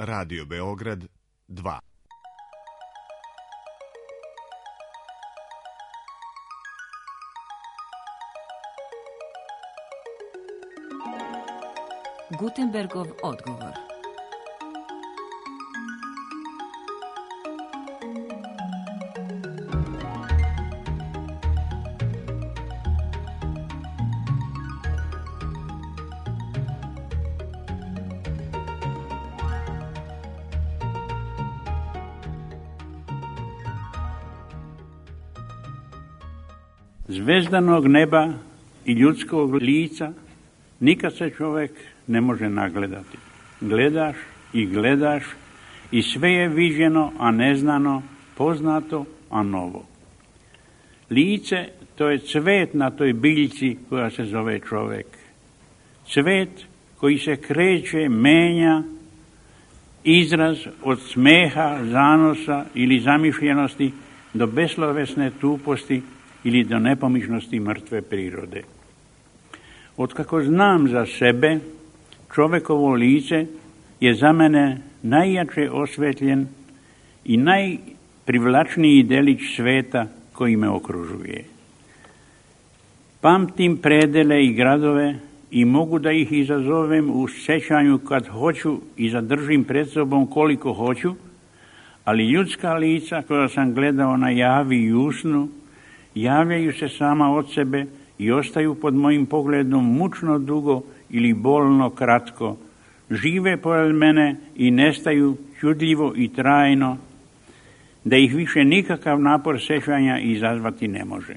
Radio Beograd 2. Gutenbergov odgovor. Zvezdanog neba i ljudskog lica nikad se čovjek ne može nagledati. Gledaš i gledaš i sve je viđeno, a neznano, poznato, a novo. Lice, to je cvet na toj biljci koja se zove čovjek. Cvet koji se kreće, menja, izraz od smeha, zanosa ili zamišljenosti do beslovesne tuposti ili do nepomičnosti mrtve prirode. Otkako znam za sebe, čovjekovo lice je za mene najjače osvetljen i najprivlačniji delić sveta koji me okružuje. Pamtim predele i gradove i mogu da ih izazovem u sjećanju kad hoću i zadržim pred sobom koliko hoću, ali ljudska lica koja sam gledao na javi i usnu javljaju se sama od sebe i ostaju pod mojim pogledom mučno dugo ili bolno kratko. Žive pored mene i nestaju čudljivo i trajno, da ih više nikakav napor sjećanja izazvati ne može.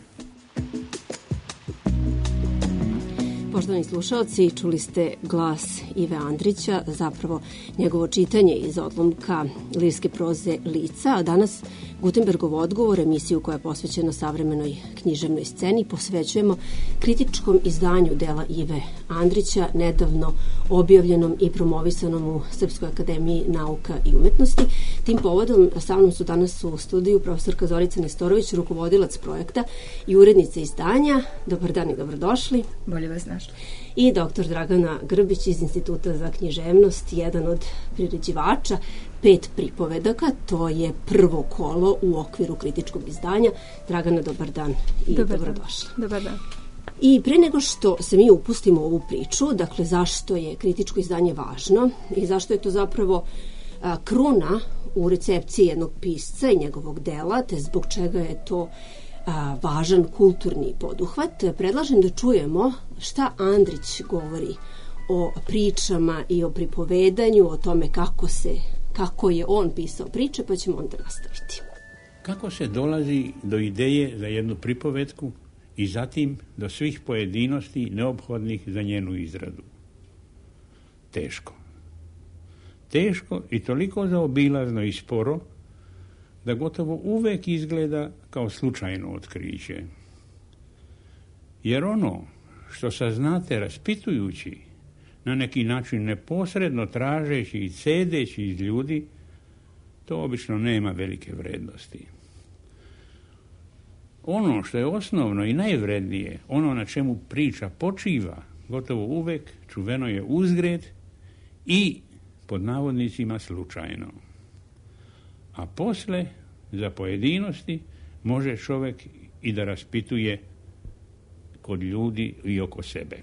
Poštovani slušalci, čuli ste glas Ive Andrića, zapravo njegovo čitanje iz odlomka lirske proze Lica, a danas Gutenbergov odgovor, emisiju koja je posvećena savremenoj književnoj sceni, posvećujemo kritičkom izdanju dela Ive Andrića, nedavno objavljenom i promovisanom u Srpskoj akademiji nauka i umetnosti. Tim povodom sa mnom su danas u studiju profesorka Zorica Nestorović, rukovodilac projekta i urednica izdanja. Dobar dan i dobrodošli. Bolje vas našli. I doktor Dragana Grbić iz Instituta za književnost, jedan od priređivača 5 pripovedaka, to je prvo kolo u okviru kritičkog izdanja. Dragana, dobar dan i dobrodošla. Dobar dan. I pre nego što se mi upustimo u ovu priču, dakle zašto je kritičko izdanje važno i zašto je to zapravo kruna u recepciji jednog pisca i njegovog dela, te zbog čega je to važan kulturni poduhvat, predlažem da čujemo šta Andrić govori o pričama i o pripovedanju, o tome kako je on pisao priče, pa ćemo onda nastaviti. Kako se dolazi do ideje za jednu pripovetku i zatim do svih pojedinosti neophodnih za njenu izradu? Teško. Teško i toliko zaobilazno i sporo da gotovo uvek izgleda kao slučajno otkriće. Jer ono što saznate raspitujući, na neki način neposredno tražeći i cedeći iz ljudi, to obično nema velike vrednosti. Ono što je osnovno i najvrednije, ono na čemu priča počiva, gotovo uvek čuveno je uzgred i pod navodnicima slučajno. A posle, za pojedinosti, može čovjek i da raspituje kod ljudi i oko sebe.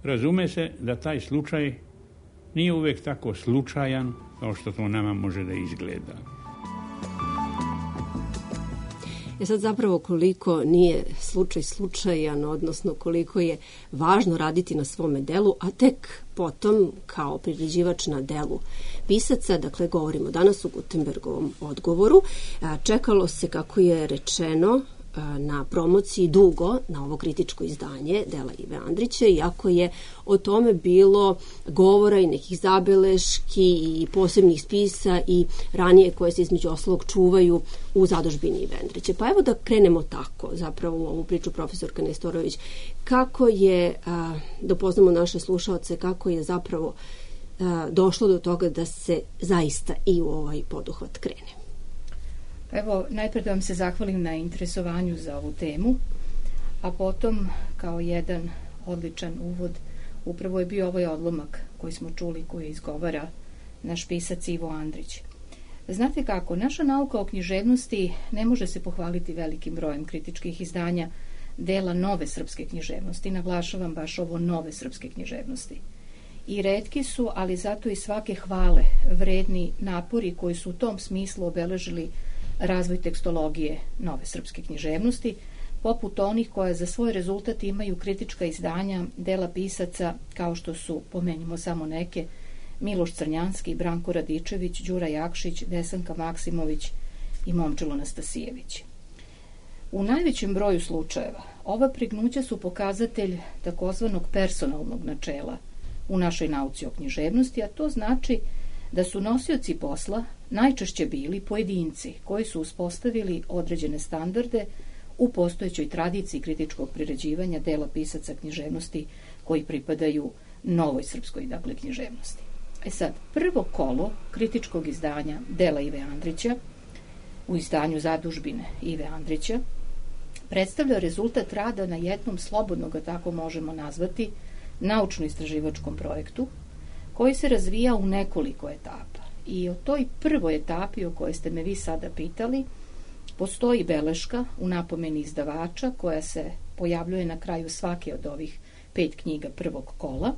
Razume se da taj slučaj nije uvijek tako slučajan kao što to nama može da izgleda. Sad zapravo koliko nije slučaj slučajan, odnosno koliko je važno raditi na svome delu, a tek potom kao priređivač na delu pisaca, dakle govorimo danas o Gutenbergovom odgovoru, čekalo se, kako je rečeno, na promociji dugo na ovo kritičko izdanje dela Ive Andrića, iako je o tome bilo govora i nekih zabeleški i posebnih spisa i ranije koje se između ostalog čuvaju u zadužbini Ive Andrića. Pa evo da krenemo tako zapravo u ovu priču, profesorka Nestorović. Kako je, da upoznamo naše slušaoce, kako je zapravo došlo do toga da se zaista i u ovaj poduhvat krene? Evo, najprije da vam se zahvalim na interesovanju za ovu temu, a potom, kao jedan odličan uvod, upravo je bio ovaj odlomak koji smo čuli, koji izgovara naš pisac Ivo Andrić. Znate kako, naša nauka o književnosti ne može se pohvaliti velikim brojem kritičkih izdanja dela nove srpske književnosti. Naglašavam baš ovo nove srpske književnosti. I retki su, ali zato i svake hvale vredni napori koji su u tom smislu obeležili razvoj tekstologije nove srpske književnosti, poput onih koja za svoj rezultat imaju kritička izdanja dela pisaca kao što su, pomenimo samo neke, Miloš Crnjanski, Branko Radičević, Đura Jakšić, Desanka Maksimović i Momčilo Nastasijević. U najvećem broju slučajeva ova prignuća su pokazatelj takozvanog personalnog načela u našoj nauci o književnosti, a to znači da su nosioci posla najčešće bili pojedinci koji su uspostavili određene standarde u postojećoj tradiciji kritičkog priređivanja dela pisaca književnosti koji pripadaju novoj srpskoj, dakle, književnosti. Sad, prvo kolo kritičkog izdanja dela Ive Andrića u izdanju Zadužbine Ive Andrića predstavlja rezultat rada na jednom, slobodno ga tako možemo nazvati, naučno-istraživačkom projektu koji se razvija u nekoliko etapa. I o toj prvoj etapi o kojoj ste me vi sada pitali postoji beleška u napomeni izdavača koja se pojavljuje na kraju svake od ovih 5 knjiga prvog kola.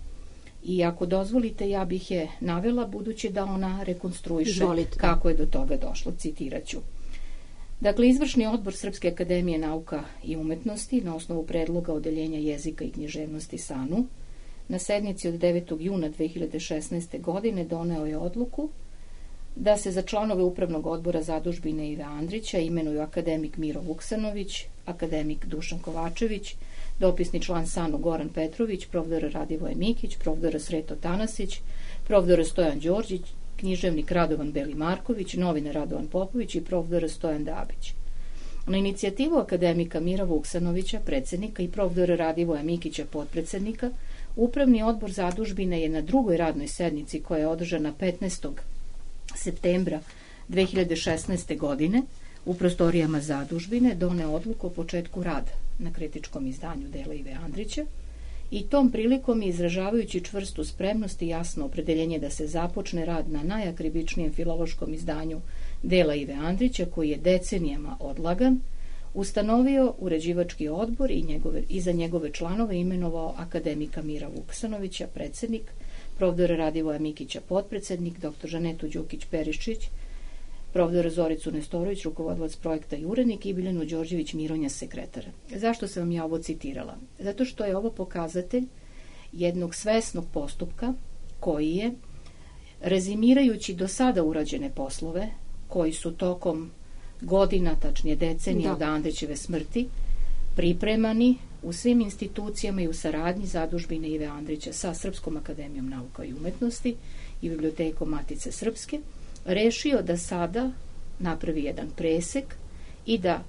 I ako dozvolite, ja bih je navela budući da ona rekonstruiše kako je do toga došlo. Citirat ću. Dakle, Izvršni odbor Srpske akademije nauka i umetnosti na osnovu predloga Odeljenja jezika i književnosti SANU na sednici od 9. juna 2016. godine doneo je odluku da se za članove Upravnog odbora Zadužbine Ive Andrića imenuju akademik Miro Vuksanović, akademik Dušan Kovačević, dopisni član SANU Goran Petrović, profesor Radivoje Mikić, profesor Sreto Tanasić, profesor Stojan Đorđić, književnik Radovan Beli Marković, novinar Radovan Popović i profesor Stojan Dabić. Na inicijativu akademika Mira Vuksanovića, predsjednika, i profesora Radivoja Mikića, potpredsjednika, Upravni odbor Zadužbine je na drugoj radnoj sednici koja je održana 15. septembra 2016. godine u prostorijama Zadužbine doneo odluku o početku rada na kritičkom izdanju dela Ive Andrića i tom prilikom, izražavajući čvrstu spremnost i jasno opredeljenje da se započne rad na najakribičnijem filološkom izdanju dela Ive Andrića, koji je decenijama odlagan, ustanovio uređivački odbor i za njegove članove imenovao akademika Mira Vuksanovića, predsjednik, profesora Radivoja Mikića, potpredsjednik, dr. Žanetu Đukić-Perišić, profesora Zoricu Nestorović, rukovodilac projekta i urednik, i Biljanu Đorđević Mironja, sekretara. Zašto sam vam ja ovo citirala? Zato što je ovo pokazatelj jednog svesnog postupka koji je, rezimirajući do sada urađene poslove, koji su tokom godina, tačnije decenija od Andrićeve smrti, pripremani u svim institucijama i u saradnji Zadužbine Ive Andrića sa Srpskom akademijom nauka i umetnosti i bibliotekom Matice Srpske, rešio da sada napravi jedan presek i da,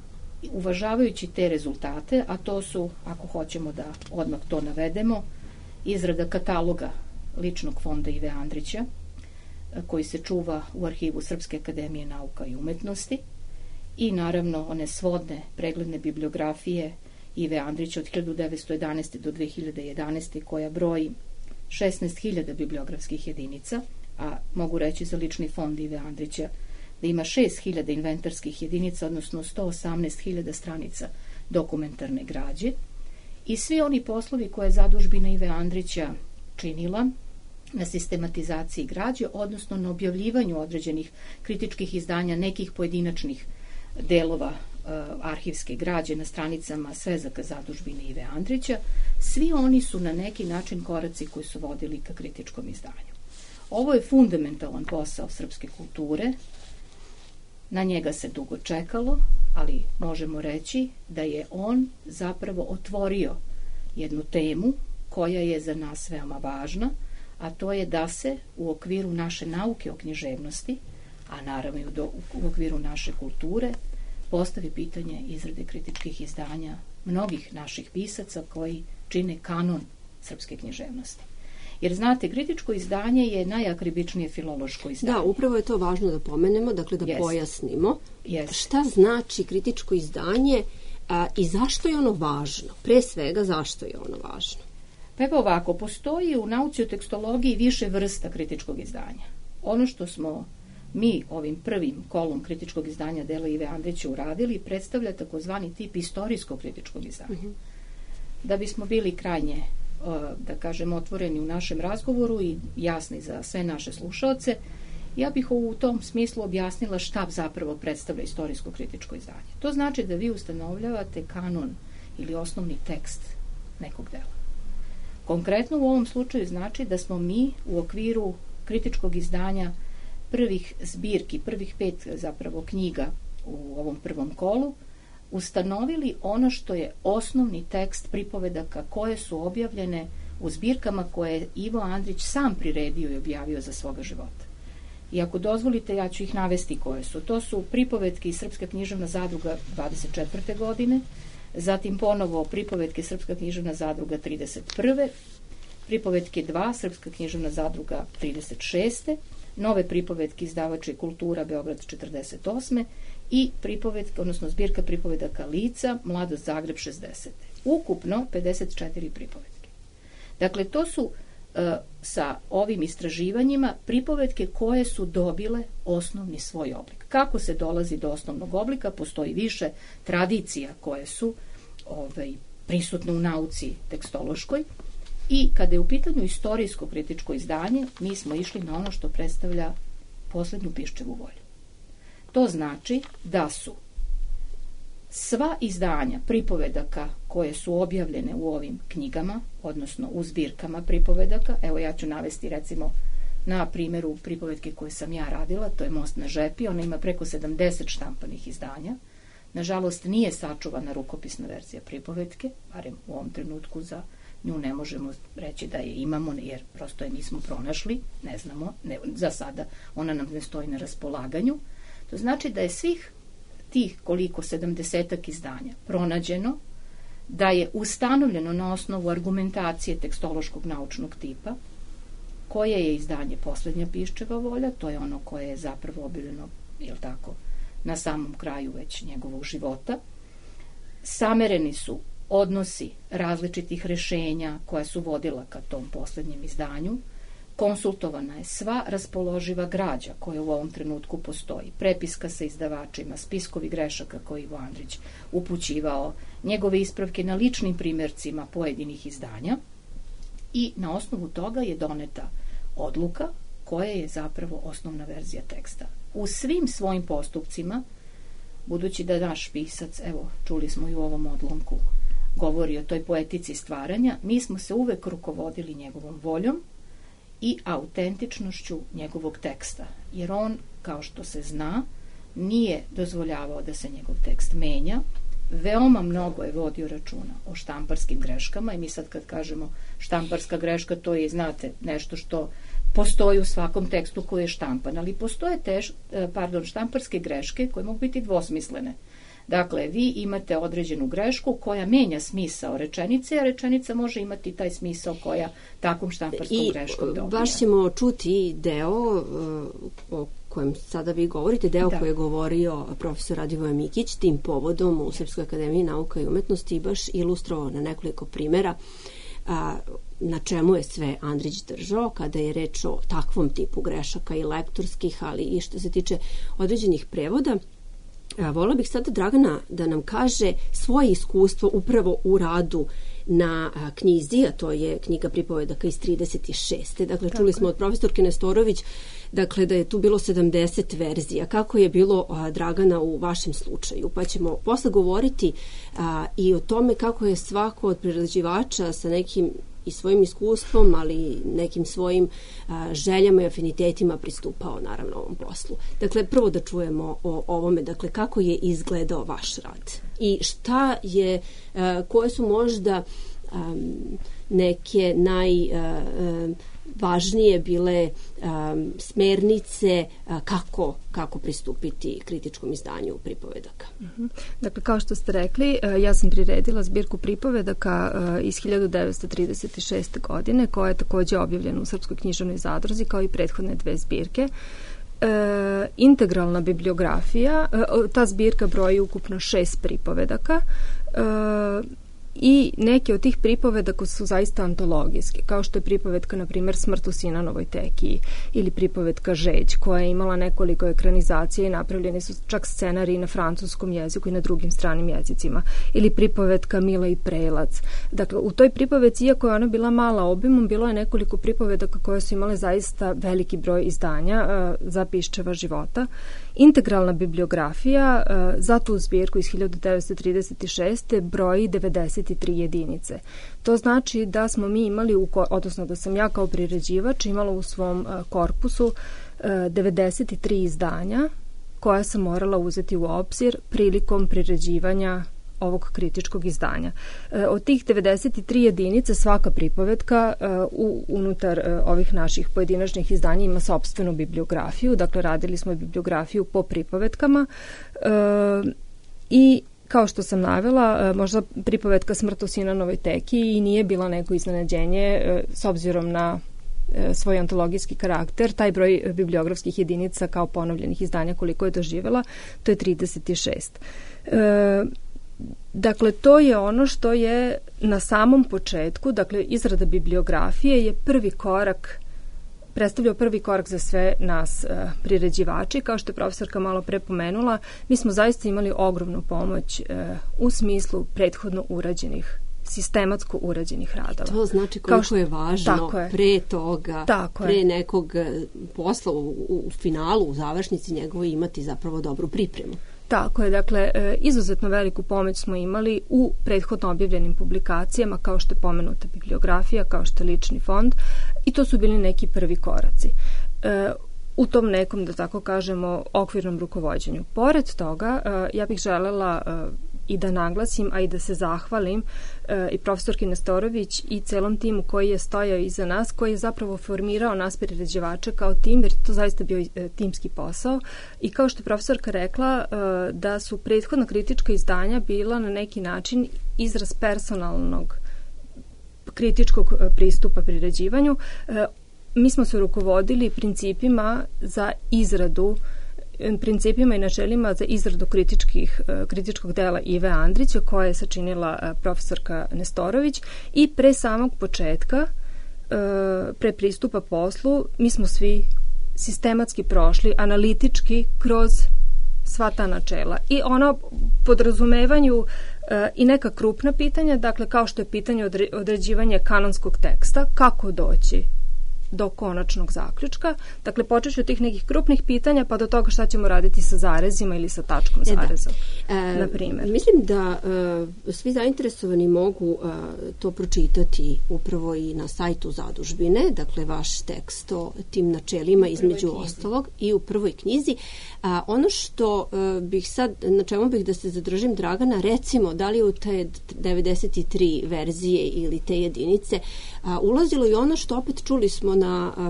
uvažavajući te rezultate, a to su, ako hoćemo da odmah to navedemo, izrada kataloga ličnog fonda Ive Andrića, koji se čuva u arhivu Srpske akademije nauka i umetnosti, i naravno one svodne pregledne bibliografije Ive Andrića od 1911. do 2011. koja broji 16.000 bibliografskih jedinica, a mogu reći za lični fond Ive Andrića da ima 6.000 inventarskih jedinica, odnosno 118.000 stranica dokumentarne građe, i svi oni poslovi koje je Zadužbina Ive Andrića činila na sistematizaciji građe, odnosno na objavljivanju određenih kritičkih izdanja nekih pojedinačnih delova arhivske građe na stranicama svezaka Zadužbine Ive Andrića, svi oni su na neki način koraci koji su vodili ka kritičkom izdanju. Ovo je fundamentalan posao srpske kulture, na njega se dugo čekalo, ali možemo reći da je on zapravo otvorio jednu temu koja je za nas veoma važna, a to je da se u okviru naše nauke o književnosti, a naravno i u okviru naše kulture, postavi pitanje izrade kritičkih izdanja mnogih naših pisaca koji čine kanon srpske književnosti. Jer znate, kritičko izdanje je najakribičnije filološko izdanje. Da, upravo je to važno da pomenemo, dakle da pojasnimo šta znači kritičko izdanje i zašto je ono važno. Pre svega, zašto je ono važno? Pa evo ovako, postoji u nauci o tekstologiji više vrsta kritičkog izdanja. ono što smo mi ovim prvim kolom kritičkog izdanja dela Ive Andrića uradili predstavlja takozvani tip istorijsko-kritičkog izdanja. Da bismo bili krajnje, da kažem, otvoreni u našem razgovoru i jasni za sve naše slušaoce, ja bih u tom smislu objasnila šta zapravo predstavlja istorijsko-kritičko izdanje. To znači da vi ustanovljavate kanon ili osnovni tekst nekog dela. Konkretno u ovom slučaju znači da smo mi u okviru kritičkog izdanja prvih zbirki, prvih 5 zapravo knjiga u ovom prvom kolu, ustanovili ono što je osnovni tekst pripovedaka koje su objavljene u zbirkama koje je Ivo Andrić sam priredio i objavio za svoga života. I ako dozvolite, ja ću ih navesti koje su. To su pripovetke iz Srpska književna zadruga 24. godine, zatim ponovo pripovetke Srpska književna zadruga 31. Pripovetke 2, Srpska književna zadruga 36. Nove pripovetke izdavače kultura Beograd 48. i pripovetke, odnosno zbirka pripovedaka Lica, Mladost Zagreb 60. Ukupno 54 pripovetke. Dakle, to su sa ovim istraživanjima pripovetke koje su dobile osnovni svoj oblik. Kako se dolazi do osnovnog oblika? Postoji više tradicija koje su prisutne u nauci tekstološkoj i kada je u pitanju istorijsko kritičko izdanje, mi smo išli na ono što predstavlja poslednju Piščevu volju. To znači da su sva izdanja pripovedaka koje su objavljene u ovim knjigama, odnosno u zbirkama pripovedaka, evo ja ću navesti recimo na primjeru pripovedke koje sam ja radila, to je Most na žepi, ona ima preko 70 štampanih izdanja. Nažalost, nije sačuvana rukopisna verzija pripovetke, barem u ovom trenutku za nju ne možemo reći da je imamo, jer prosto je nismo pronašli, ne znamo, za sada ona nam ne stoji na raspolaganju. To znači da je svih tih koliko 70-ak izdanja pronađeno, da je ustanovljeno na osnovu argumentacije tekstološkog naučnog tipa, koje je izdanje Poslednja Piščeva volja, to je ono koje je zapravo objavljeno, jel tako, na samom kraju već njegovog života. Samereni su odnosi različitih rešenja koja su vodila ka tom poslednjem izdanju, konsultovana je sva raspoloživa građa koja u ovom trenutku postoji, prepiska sa izdavačima, spiskovi grešaka koje Ivo Andrić upućivao, njegove ispravke na ličnim primjercima pojedinih izdanja i na osnovu toga je doneta odluka koja je zapravo osnovna verzija teksta. U svim svojim postupcima, budući da naš pisac, evo čuli smo i u ovom odlomku, govori o toj poetici stvaranja, mi smo se uvek rukovodili njegovom voljom i autentičnošću njegovog teksta, jer on, kao što se zna, nije dozvoljavao da se njegov tekst menja, veoma mnogo je vodio računa o štamparskim greškama i mi sad kad kažemo štamparska greška, to je, znate, nešto što postoji u svakom tekstu koji je štampan, ali postoje štamparske greške koje mogu biti dvosmislene. Dakle, vi imate određenu grešku koja menja smisao rečenice, a rečenica može imati taj smisao koja takvom štamparskom greškom dobija. I baš ćemo čuti deo o kojem sada vi govorite, deo koji je govorio profesor Radivoje Mikić tim povodom u Srpskoj akademiji nauka i umetnosti i baš ilustrovao na nekoliko primjera na čemu je sve Andrić držao kada je reč o takvom tipu grešaka i lektorskih, ali i što se tiče određenih prevoda. Volila bih sada Dragana da nam kaže svoje iskustvo upravo u radu na knjizi, a to je knjiga pripovedaka iz 36. Dakle, čuli smo od profesorke Nestorović dakle, da je tu bilo 70 verzija. Kako je bilo, Dragana, u vašem slučaju? Pa ćemo posle govoriti i o tome kako je svako od prerađivača sa nekim i svojim iskustvom, ali nekim svojim željama i afinitetima pristupao naravno ovom poslu. Dakle, prvo da čujemo o ovome, dakle, kako je izgledao vaš rad i šta je, koje su možda neke najvažnije bile smernice kako pristupiti kritičkom izdanju pripovedaka. Dakle, kao što ste rekli, ja sam priredila zbirku pripovedaka iz 1936. godine, koja je također objavljena u Srpskoj književnoj zadruzi, kao i prethodne 2 zbirke. Integralna bibliografija, ta zbirka broji ukupno 6 pripovedaka. i neke od tih pripovedaka su zaista antologijske, kao što je pripovetka, na primjer, Smrt u Sinanovoj tekiji ili pripovetka Žeđ, koja je imala nekoliko ekranizacija i napravljeni su čak scenariji na francuskom jeziku i na drugim stranim jezicima, ili pripovetka Mila i Prelac. Dakle, u toj pripovetci, iako je ona bila mala obimom, bilo je nekoliko pripovedaka koje su imale zaista veliki broj izdanja za Piščeva života. Integralna bibliografija za tu zbirku iz 1936. broji 93 jedinice. To znači da smo mi imali, odnosno da sam ja kao priređivač imala u svom korpusu 93 izdanja koja sam morala uzeti u obzir prilikom priređivanja ovog kritičkog izdanja. Od tih 93 jedinice svaka pripovetka unutar ovih naših pojedinačnih izdanja ima sopstvenu bibliografiju, dakle radili smo bibliografiju po pripovetkama i kao što sam navela, možda pripovetka Smrt u Sinanovoj tekiji i nije bila neko iznenađenje s obzirom na svoj antologijski karakter. Taj broj bibliografskih jedinica kao ponovljenih izdanja koliko je doživjela, to je 36. Dakle, to je ono što je na samom početku, dakle, izrada bibliografije je predstavljao prvi korak za sve nas priređivači. Kao što je profesorka malo pre pomenula, mi smo zaista imali ogromnu pomoć u smislu prethodno urađenih, sistematsko urađenih radova. To znači koliko je važno pre toga, pre nekog posla u finalu, u završnici njegovoj imati zapravo dobru pripremu. Tako je, dakle, izuzetno veliku pomoć smo imali u prethodno objavljenim publikacijama, kao što je pomenuta bibliografija, kao što je lični fond, i to su bili neki prvi koraci u tom nekom, da tako kažemo, okvirnom rukovođenju. Pored toga, ja bih želela i da naglasim, a i da se zahvalim i profesorki Nestorović i celom timu koji je stojao iza nas, koji je zapravo formirao nas priređivače kao tim, jer to zaista bio timski posao. I kao što je profesorka rekla, da su prethodna kritička izdanja bila na neki način izraz personalnog kritičkog pristupa priređivanju. Mi smo se rukovodili principima i načelima za izradu kritičkog dela Ive Andrića, koje je sačinila profesorka Nestorović, i pre samog početka, pre pristupa poslu, mi smo svi sistematski prošli, analitički kroz sva ta načela. I ono podrazumevanju i neka krupna pitanja, dakle kao što je pitanje određivanja kanonskog teksta, kako doći do konačnog zaključka. Dakle, počeći od tih nekih krupnih pitanja pa do toga šta ćemo raditi sa zarezima ili sa tačkom zareza, na primjer. Mislim da svi zainteresovani mogu to pročitati upravo i na sajtu zadužbine, dakle vaš tekst o tim načelima između ostalog i u prvoj knjizi. Ono što bih sad, na čemu bih da se zadržim, Dragana, recimo, da li u te 93 verzije ili te jedinice ulazilo i ono što opet čuli smo na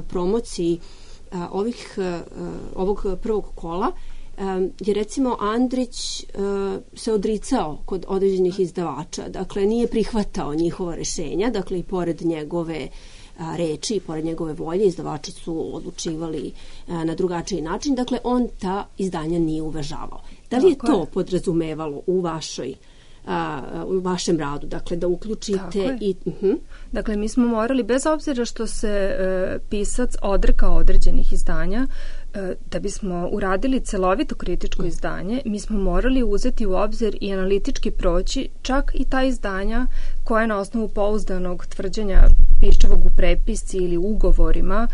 promociji ovog prvog kola, je recimo Andrić se odricao kod određenih izdavača, dakle nije prihvatao njihova rešenja, dakle i pored njegove reči i pored njegove volje izdavači su odlučivali na drugačiji način, dakle on ta izdanja nije uvažavao. Da li je to podrazumevalo u vašem radu, dakle da uključite i... Dakle, mi smo morali, bez obzira što se pisac odrekao određenih izdanja, da bismo uradili celovito kritičko izdanje, mi smo morali uzeti u obzir i analitički proći čak i ta izdanja koja na osnovu pouzdanog tvrđenja Piščevog u prepisci ili ugovorima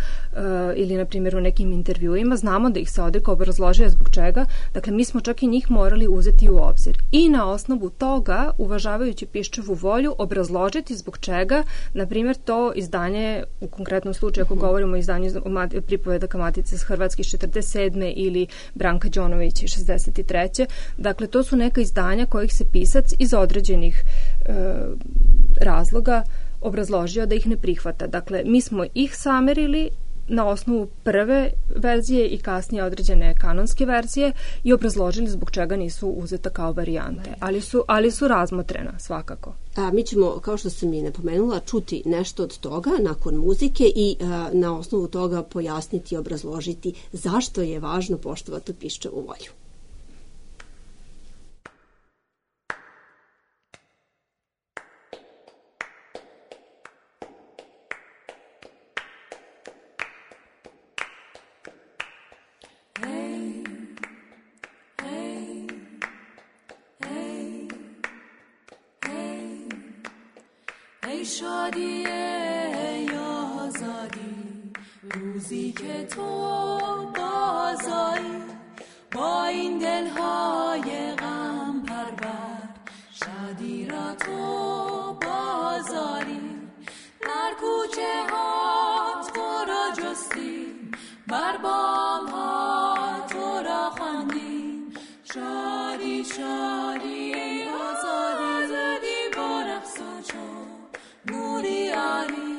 ili, na primjer, u nekim intervjuima, znamo da ih se odrekao, obrazložio zbog čega. Dakle, mi smo čak i njih morali uzeti u obzir. I na osnovu toga, uvažavajući Piščevu volju, obrazložiti zbog čega, na primjer, to izdanje, u konkretnom slučaju, ako govorimo o izdanju pripovedaka Matice s Hrvatske 47. ili Branka Đonović 63. Dakle, to su neka izdanja kojih se pisac iz određenih razloga obrazložio da ih ne prihvata. Dakle, mi smo ih samerili na osnovu prve verzije i kasnije određene kanonske verzije i obrazložili zbog čega nisu uzeta kao varijante, ali su razmotrena svakako. Mi ćemo, kao što sam i napomenula, čuti nešto od toga nakon muzike i na osnovu toga pojasniti i obrazložiti zašto je važno poštovati Piščevu volju. ای شادی ای آزادی روزی که تو بازایی با این دلهای غم پرور شادی را تو بازاری در کوچه ها تو را جستیم بر بام ها تو را خواندیم شادی شادی ای آزادی با رقص و چو نوری آری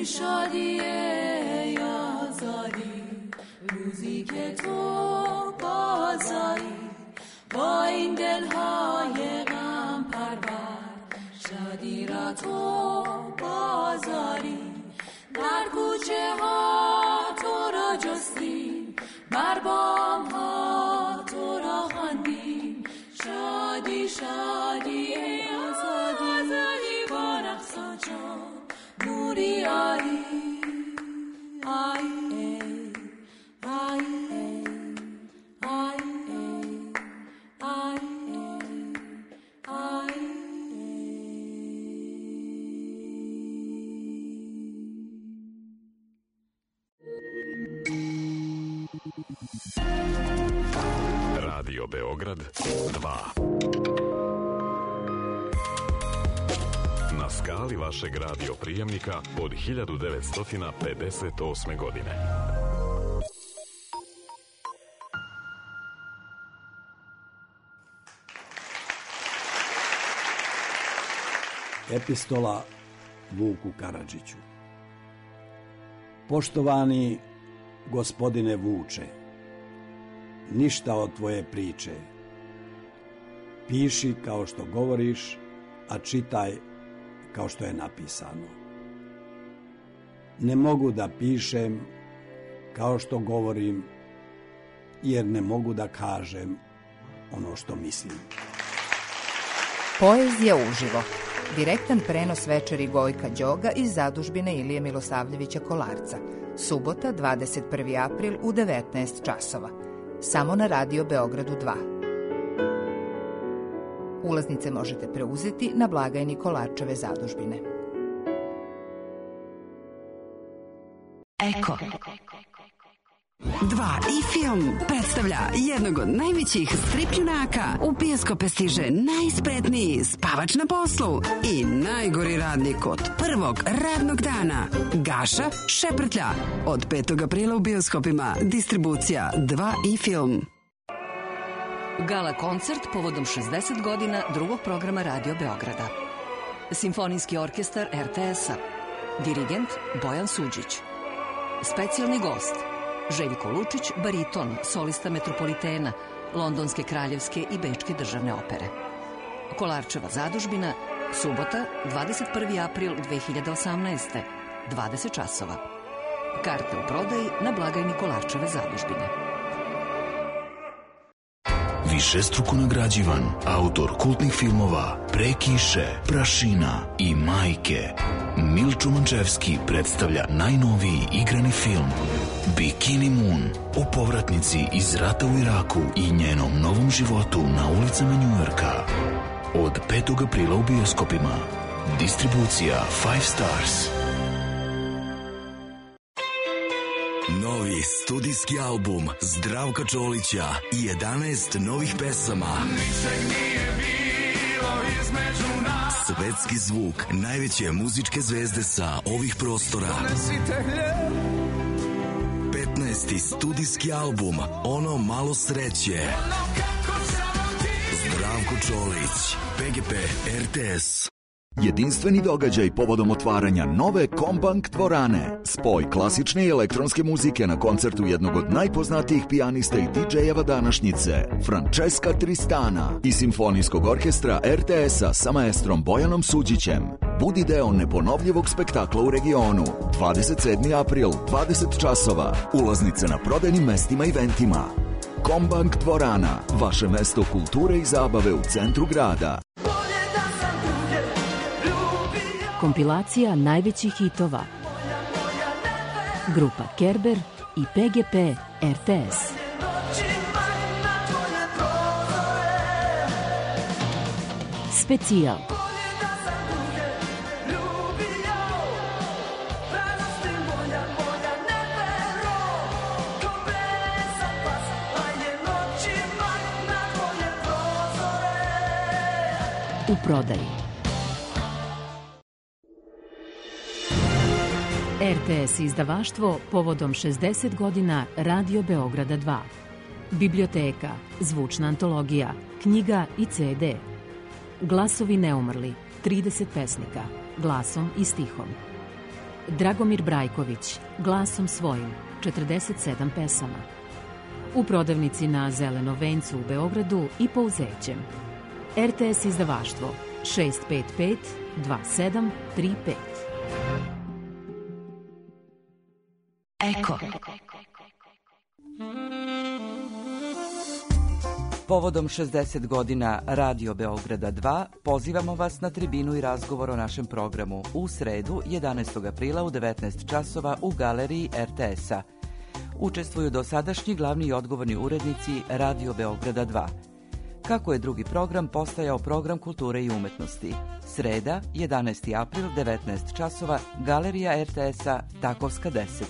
شادی ای آزادی روزی که تو بازایی با این دلهای غم پرور شادی را تو بازاری در کوچه ها تو را جستیم بر بام ها تو را خواندیم شادی شادی ای آزادی با رقص و چو نوری آری آی آی آی آی آی Radio Beograd 2. Na skali vašeg radio prijemnika od 1958. godine. Epistola Vuku Karadžiću. Poštovani gospodine Vuče, ništa od tvoje priče. Piši kao što govoriš, a čitaj kao što je napisano. Ne mogu da pišem kao što govorim, jer ne mogu da kažem ono što mislim. Poezija uživo. Direktan prenos večeri Gojka Đoga iz zadužbine Ilije Milosavljevića Kolarca. Subota, 21. april u 19 časova. Samo na Radio Beogradu 2. Ulaznice možete preuzeti na blagajni Kolarčeve zadužbine. Eko. 2 i film predstavlja jednog od najvećih stripljunaka. U bioskope stiže najspretniji spavač na poslu i najgori radnik od prvog radnog dana. Gaša Šeprtlja. Od 5. aprila u bioskopima. Distribucija 2 i film. Gala koncert povodom 60 godina drugog programa Radio Beograda. Simfonijski orkestar RTS-a. Dirigent Bojan Suđić. Specijalni gost Željko Lučić, bariton, solista Metropolitena, Londonske kraljevske i Bečke državne opere. Kolarčeva zadužbina, subota, 21. april 2018. 20 časova. Karte u prodaji na blagajni Kolarčeve zadužbine. Višestruko nagrađivan, autor kultnih filmova Pre kiše, Prašina i Majke, Milčo Mančevski predstavlja najnoviji igrani film Bikini Moon o povratnici iz rata u Iraku i njenom novom životu na ulicama Njujorka. Od 5. aprila u bioskopima. Distribucija 5 Stars. Novi studijski album Zdravka Čolića i 11 novih pesama. Svetski zvuk najveće muzičke zvezde sa ovih prostora. 15. studijski album Ono malo sreće. Zdravko Čolić, PGP RTS. Jedinstveni događaj povodom otvaranja nove Kombank dvorane. Spoj klasične i elektronske muzike na koncertu jednog od najpoznatijih pijanista i DJ-eva današnjice, Francesca Tristana, i Simfonijskog orkestra RTS-a sa maestrom Bojanom Suđićem. Budi deo neponovljivog spektakla u regionu. 27. april, 20 časova. Ulaznice na prodajnim mestima i ventima. Kombank dvorana, vaše mesto kulture i zabave u centru grada. Kompilacija najvećih hitova. Grupa Kerber i PGP RTS. Specijal. U prodaji. RTS izdavaštvo povodom 60 godina Radio Beograda 2. Biblioteka, zvučna antologija, knjiga i CD. Glasovi neumrli, 30 pesnika, glasom i stihom. Dragomir Brajković, glasom svojim, 47 pesama. U prodavnici na Zelenom vencu u Beogradu i po Uzećem. RTS izdavaštvo 655 2735. Eko. Povodom 60 godina Radio Beograda 2 pozivamo vas na tribinu i razgovor o našem programu u sredu 11. aprila u 19 časova u galeriji RTS-a. Učestvuju dosadašnji glavni i odgovorni urednici Radio Beograda 2. Kako je drugi program postajao program kulture i umetnosti. Sreda, 11. april, 19 časova, galerija RTS-a, Takovska 10.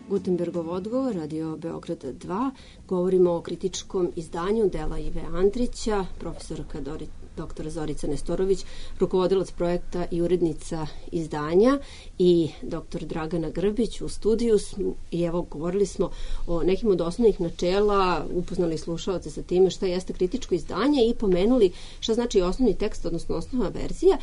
Gutenbergov odgovor, Radio Beograd 2. Govorimo o kritičkom izdanju dela Ive Andrića, profesorka dr. Zorica Nestorović, rukovodilac projekta i urednica izdanja, i dr. Dragana Grbić u studiju. I evo, govorili smo o nekim od osnovnih načela, upoznali slušalce sa time šta jeste kritičko izdanje i pomenuli šta znači osnovni tekst, odnosno osnovna verzija.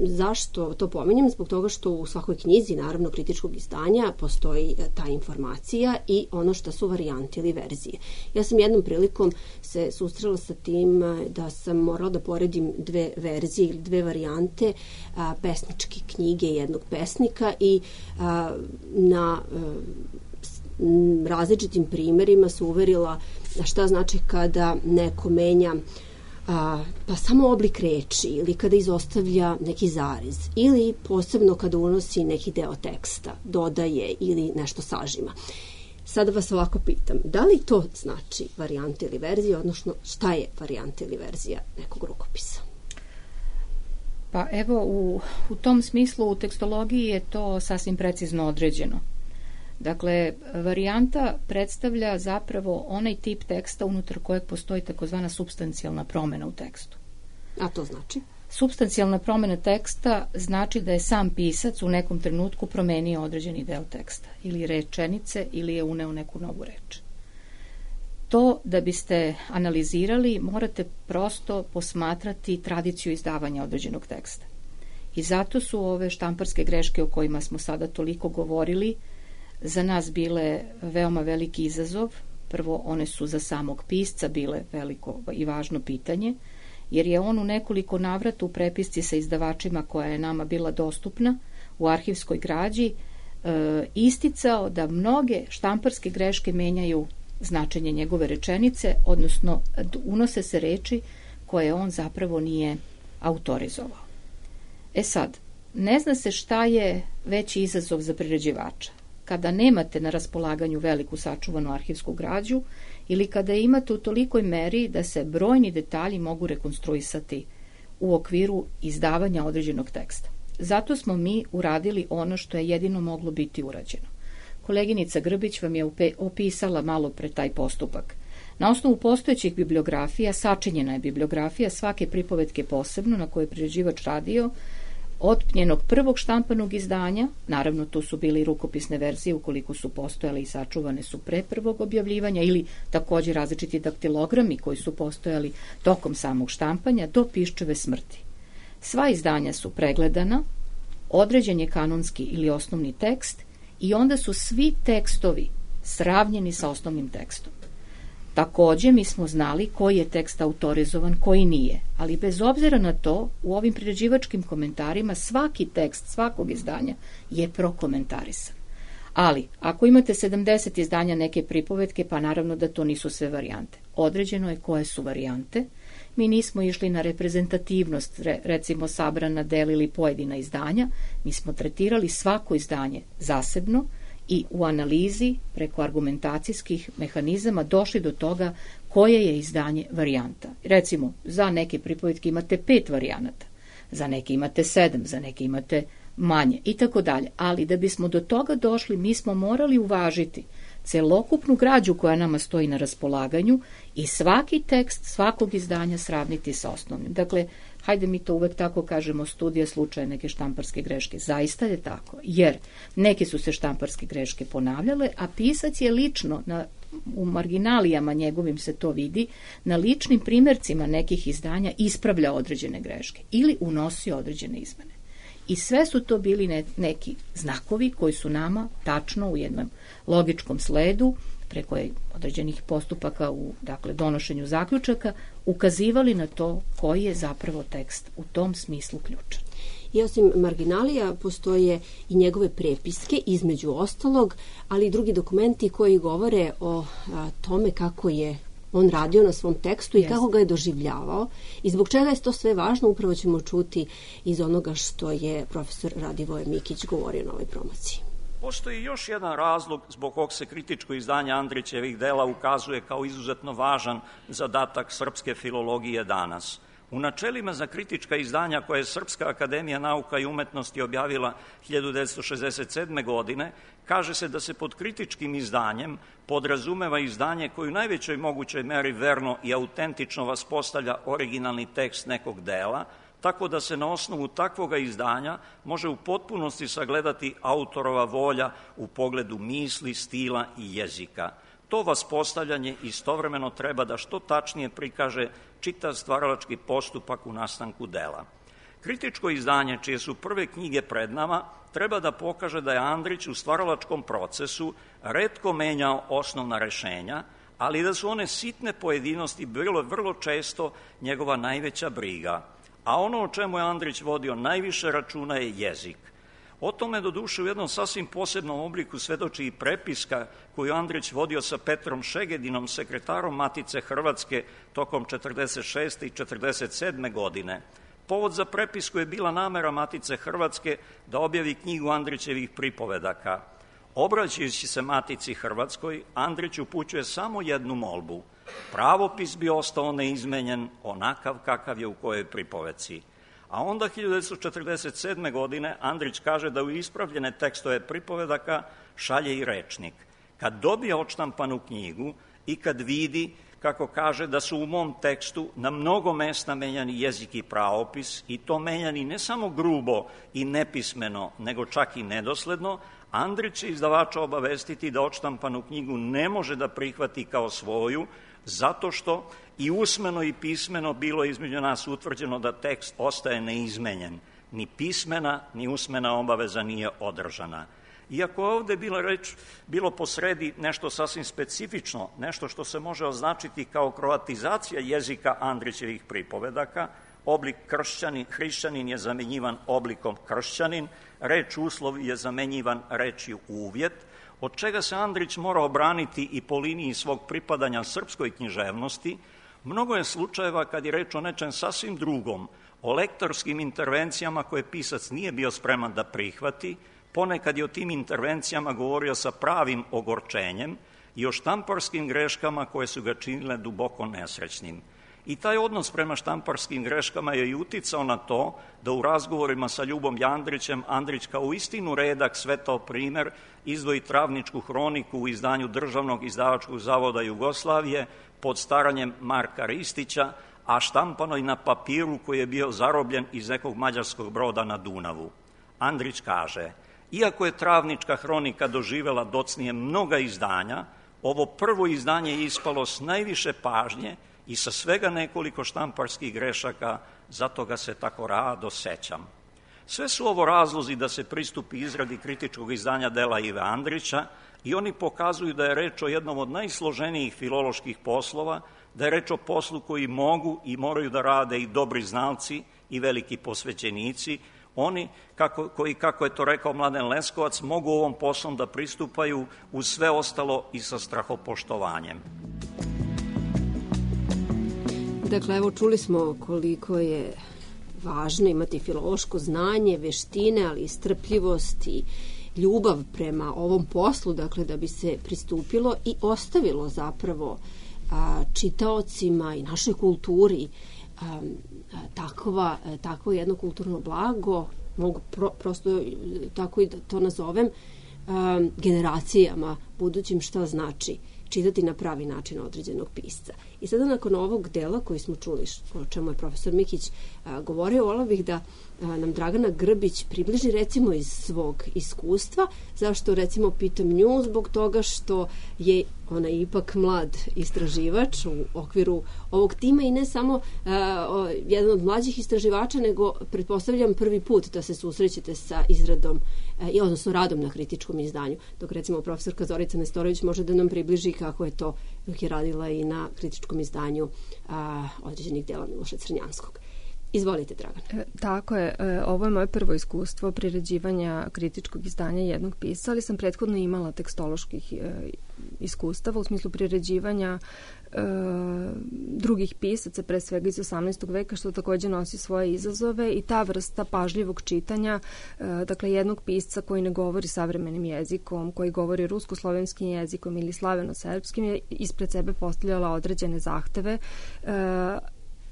Zašto to pomenjem? Zbog toga što u svakoj knjizi, naravno, kritičkog izdanja postoji ta informacija i ono šta su varijante ili verzije. Ja sam jednom prilikom se susrela sa tim da sam morala da poredim dve verzije ili dve varijante pesničke knjige jednog pesnika i na različitim primerima se uverila šta znači kada neko menja pa samo oblik reči ili kada izostavlja neki zarez ili posebno kada unosi neki deo teksta, dodaje ili nešto sažima. Sada vas ovako pitam, da li to znači varijanta ili verzija, odnosno šta je varijanta ili verzija nekog rukopisa? Pa evo, u tom smislu u tekstologiji je to sasvim precizno određeno. Dakle, varijanta predstavlja zapravo onaj tip teksta unutar kojeg postoji takozvana supstancijalna promena u tekstu. A to znači? Supstancijalna promena teksta znači da je sam pisac u nekom trenutku promenio određeni deo teksta ili rečenice ili je uneo neku novu reč. To da biste analizirali morate prosto posmatrati tradiciju izdavanja određenog teksta. I zato su ove štamparske greške o kojima smo sada toliko govorili za nas bile veoma veliki izazov. Prvo, one su za samog pisca bile veliko i važno pitanje, jer je on u nekoliko navrata u prepisci sa izdavačima koja je nama bila dostupna u arhivskoj građi isticao da mnoge štamparske greške menjaju značenje njegove rečenice, odnosno unose se reči koje on zapravo nije autorizovao. E sad, ne zna se šta je veći izazov za priređivača. Kada nemate na raspolaganju veliku sačuvanu arhivsku građu ili kada je imate u tolikoj meri da se brojni detalji mogu rekonstruisati u okviru izdavanja određenog teksta. Zato smo mi uradili ono što je jedino moglo biti urađeno. Koleginica Grbić vam je opisala malo pre taj postupak. Na osnovu postojećih bibliografija, sačinjena je bibliografija svake pripovetke posebno na kojoj je priređivač radio, od njenog prvog štampanog izdanja, naravno tu su bili rukopisne verzije ukoliko su postojale i sačuvane su pre prvog objavljivanja, ili također različiti daktilogrami koji su postojali tokom samog štampanja, do Piščeve smrti. Sva izdanja su pregledana, određen je kanonski ili osnovni tekst i onda su svi tekstovi sravnjeni sa osnovnim tekstom. Također mi smo znali koji je tekst autorizovan, koji nije, ali bez obzira na to, u ovim priređivačkim komentarima svaki tekst svakog izdanja je prokomentarisan. Ali, ako imate 70 izdanja neke pripovetke, pa naravno da to nisu sve varijante. Određeno je koje su varijante. Mi nismo išli na reprezentativnost, recimo sabrana dela ili pojedina izdanja. Mi smo tretirali svako izdanje zasebno i u analizi preko argumentacijskih mehanizama došli do toga koje je izdanje varijanta. Recimo, za neke pripovetke imate 5 varijanata, za neke imate 7, za neke imate manje i tako dalje. Ali da bismo do toga došli, mi smo morali uvažiti celokupnu građu koja nama stoji na raspolaganju i svaki tekst svakog izdanja sravniti sa osnovnim. Dakle, hajde mi to uvek tako kažemo, studija slučaja neke štamparske greške. Zaista je tako, jer neke su se štamparske greške ponavljale, a pisac je lično, u marginalijama njegovim se to vidi, na ličnim primjercima nekih izdanja ispravlja određene greške ili unosio određene izmene. I sve su to bili neki znakovi koji su nama tačno u jednom logičkom sledu, preko određenih postupaka u donošenju zaključaka, ukazivali na to koji je zapravo tekst u tom smislu ključan. I osim marginalija postoje i njegove prepiske, između ostalog, ali i drugi dokumenti koji govore o tome kako je on radio na svom tekstu i kako ga je doživljavao i zbog čega je to sve važno, upravo ćemo čuti iz onoga što je profesor Radivoje Mikić govorio na ovoj promociji. Postoji još jedan razlog zbog kog se kritičko izdanje Andrićevih dela ukazuje kao izuzetno važan zadatak srpske filologije danas. U načelima za kritička izdanja koje je Srpska akademija nauka i umetnosti objavila 1967. godine, kaže se da se pod kritičkim izdanjem podrazumeva izdanje koje u najvećoj mogućoj meri verno i autentično vaspostavlja originalni tekst nekog dela, tako da se na osnovu takvoga izdanja može u potpunosti sagledati autorova volja u pogledu misli, stila i jezika. To vaspostavljanje istovremeno treba da što tačnije prikaže čitav stvaralački postupak u nastanku dela. Kritičko izdanje, čije su prve knjige pred nama, treba da pokaže da je Andrić u stvaralačkom procesu retko menjao osnovna rešenja, ali da su one sitne pojedinosti bile vrlo često njegova najveća briga. A ono o čemu je Andrić vodio najviše računa je jezik. O tome doduše u jednom sasvim posebnom obliku svedoči i prepiska koju Andrić vodio sa Petrom Šegedinom, sekretarom Matice Hrvatske, tokom 46. i 47. godine. Povod za prepisku je bila namera Matice Hrvatske da objavi knjigu Andrićevih pripovedaka. Obraćajući se Matici Hrvatskoj, Andrić upućuje samo jednu molbu. Pravopis bi ostao neizmenjen, onakav kakav je u kojoj pripovedci. A onda 1947. godine Andrić kaže da u ispravljene tekstove pripovedaka šalje i rečnik. Kad dobije odštampanu knjigu i kad vidi, kako kaže, da su u mom tekstu na mnogo mesta menjani jezik i pravopis, i to menjani ne samo grubo i nepismeno, nego čak i nedosledno, Andrić će izdavača obavestiti da odštampanu knjigu ne može da prihvati kao svoju, zato što i usmeno i pismeno bilo između nas utvrđeno da tekst ostaje neizmenjen. Ni pismena, ni usmena obaveza nije održana. Iako je ovde bilo posredi nešto sasvim specifično, nešto što se može označiti kao kroatizacija jezika Andrićevih pripovedaka, oblik hrišćanin je zamenjivan oblikom kršćanin, reč uslov je zamenjivan rečju uvjet, od čega se Andrić mora obraniti i po liniji svog pripadanja srpskoj književnosti. Mnogo je slučajeva kad je reč o nečem sasvim drugom, o lektorskim intervencijama koje pisac nije bio spreman da prihvati, ponekad je o tim intervencijama govorio sa pravim ogorčenjem i o štamparskim greškama koje su ga činile duboko nesrećnim. I taj odnos prema štamparskim greškama je i uticao na to da u razgovorima sa Ljubom Jandrićem Andrić kao istinu redak svetao primer izdvoji Travničku hroniku u izdanju Državnog izdavačkog zavoda Jugoslavije pod staranjem Marka Ristića, a štampano i na papiru koji je bio zarobljen iz nekog mađarskog broda na Dunavu. Andrić kaže, iako je Travnička hronika doživela docnije mnoga izdanja, ovo prvo izdanje je ispalo s najviše pažnje i sa svega nekoliko štamparskih grešaka, zato ga se tako rado sećam. Sve su ovo razlozi da se pristupi izradi kritičkog izdanja dela Ive Andrića i oni pokazuju da je reč o jednom od najsloženijih filoloških poslova, da je reč o poslu koji mogu i moraju da rade i dobri znalci i veliki posvećenici, oni koji, kako je to rekao Mladen Leskovac, mogu ovom poslom da pristupaju uz sve ostalo i sa strahopoštovanjem. Dakle, evo čuli smo koliko je važno imati filološko znanje, veštine, ali i strpljivost i ljubav prema ovom poslu, dakle, da bi se pristupilo i ostavilo zapravo čitaocima i našoj kulturi takvo jedno kulturno blago, mogu prosto tako i da to nazovem, generacijama budućim šta znači čitati na pravi način određenog pisca. I sada nakon ovog dela koji smo čuli, o čemu je profesor Mikić govorio, vola bih da nam Dragana Grbić približi recimo iz svog iskustva. Zašto recimo pitam nju? Zbog toga što je ona ipak mlad istraživač u okviru ovog tima i ne samo jedan od mlađih istraživača, nego pretpostavljam prvi put da se susrećete sa izradom odnosno radom na kritičkom izdanju. Dok recimo profesorka Zorica Nestorović može da nam približi kako je to dok je radila i na kritičkom izdanju određenih dela Miloša Crnjanskog. Izvolite, Dragana. Tako je. Ovo je moje prvo iskustvo priređivanja kritičkog izdanja jednog pisca, ali sam prethodno imala tekstoloških iskustava u smislu priređivanja drugih pisaca, pre svega iz 18. veka, što takođe nosi svoje izazove i ta vrsta pažljivog čitanja, dakle jednog pisca koji ne govori savremenim jezikom, koji govori rusko-slovenskim jezikom ili slaveno-srpskim, je ispred sebe postavljala određene zahteve